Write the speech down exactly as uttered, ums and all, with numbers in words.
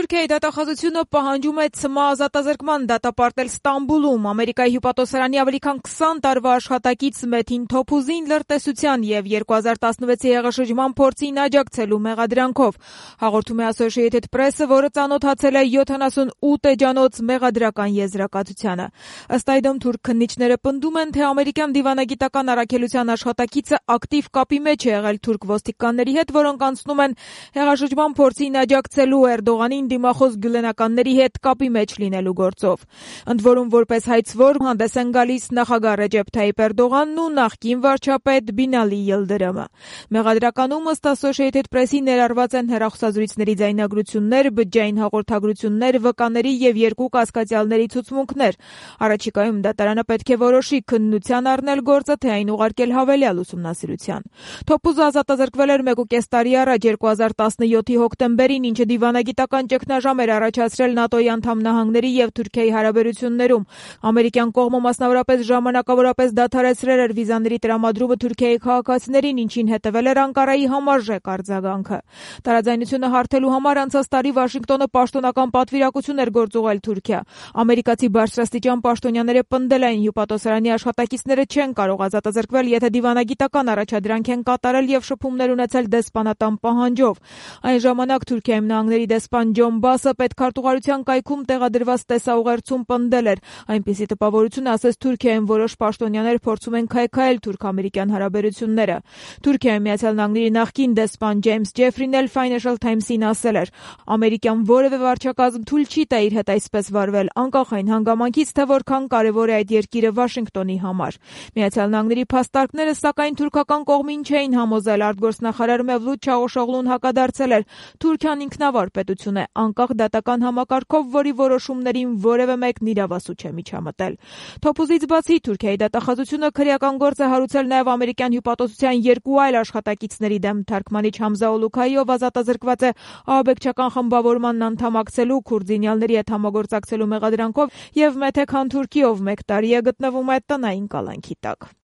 Թուրքիայի դատախազությունը պահանջում է ՑՄԱ ազատազրկման դատապարտել Ստամբուլում Ամերիկայի հյուպատոսարանի ավելի քան քսան տարվա աշխատակից Մեթին Թոփուզին լրտեսության և երկու հազար տասնվեցի հեղաշրջման փորձին աջակցելու մեղադրանքով, հաղորդում է Associated Press-ը, որը ծանոթացել է յոթանասունութ էջանոց մեղադրական եզրակացությանը։ Ըստ այդմ թուրք քննիչները պնդում են, թե ամերիկյան դիվանագիտական առաքելության աշխատակիցը ակտիվ կապի մեջ է եղել թուրք ոստիկանների հետ, որոնք անցնում են հեղաշրջման փորձին աջակցելու Էրդողանին դիմախոս գյուլենականների հետ կապի մեջ լինելու գործով։ Ընդ որում, որպես հայցվոր հանդես են գալիս նախագահ Ռեջեփ Թայիփ Էրդողանն ու նախկին վարչապետ Բինալի Յիլդիրիմը։ Մեղադրականում ըստ Associated Press-ի ներառված են հեռախոսազրույցների ձայնագրություններ, բջջային հաղորդագրություններ, վկաների և երկու կասկածյալների ցուցմունքներ։ Առաջիկայում դատարանը պետք է որոշի քննության առնել գործը, թե այն ուղարկել հավելյալ ուսումնասիրության։ Թոփուզը ազատազրկվել էր մեկուկես տարի առաջ երկու հազար տասնյոթի հոկտեմբերին, ինչը դիվանագիտական ճգնաժամ էր առաջացրել ՆԱՏՕ-ի անդամ նահանգների և Թուրքիայի հարաբերություններում։ Ամերիկյան կողմը մասնավորապես ժամանակավորապես դադարեցրել էր վիզաների տրամադրումը Թուրքիայի քաղաքացիներին, ինչին հետևել էր Անկարայի համարժեք արձագանքը։ Տարաձայնությունը հարթելու համար անցած տարի Վաշինգտոնը պաշտոնական պատվիրակություն էր գործուղել Թուրքիա։ Ամերիկացի բարձրաստիճան պաշտոնյաները պնդել էին, հյուպատոսարանի աշխատակիցները չեն կարող ազատազրկվել, եթե դիվանագիտական առաջադրանք են կատարել և շփումներ ունեցել դեսպանատան պահանջով։ Այն ժամանակ Թուրքիայում նահանգների դեսպան Ջոն Բասը պետքարտուղարության կայքում տեղադրված տեսաուղերձում պնդել էր, այնպիսի տպավորություն ասես Թուրքիայում որոշ պաշտոնյաներ փորձում են քայքայել թուրք-ամերիկյան հարաբերությունները։ Թուրքիայի Միացյալ Նահանգների նախկին դեսպան Ջեյմս Ջեֆրին էլ Financial Times-ին ասել էր. ամերիկյան որևէ վարչակազմ թույլ չի տա իր հետ այսպես վարվել, անկախ այն հանգամանքից, թե որքան կարևոր է այդ երկիրը Վաշինգտոնի համար։ Միացյալ Նահանգների փաստարկները, սակայն թուրքական կողմին չէին համոզել, արտգործնախարար Մևլութ Չավուշօղլուն հակադարձել էր. Թուրքիան ինքնավար պետություն է, անկախ դատական համակարգով, որի որոշումներին որևէ մեկն իրավասու չէ միջամտել։ Թոփուզից բացի Թուրքիայի դատախազությունը քրեական գործ է հարուցել նաև ամերիկյան հյուպատոսության երկու այլ աշխատակիցների դեմ։ Թարգմանիչ Համզա Օլուքայիով ազատազրկված է ահաբեկչական խմբավորմանն անդամակցելու, քուրդինյալների հետ համագործակցելու մեղադրանքով և Մեթեք Հանթուրքիով մեկ տարի է գտնվում է տնային կալանքի տակ։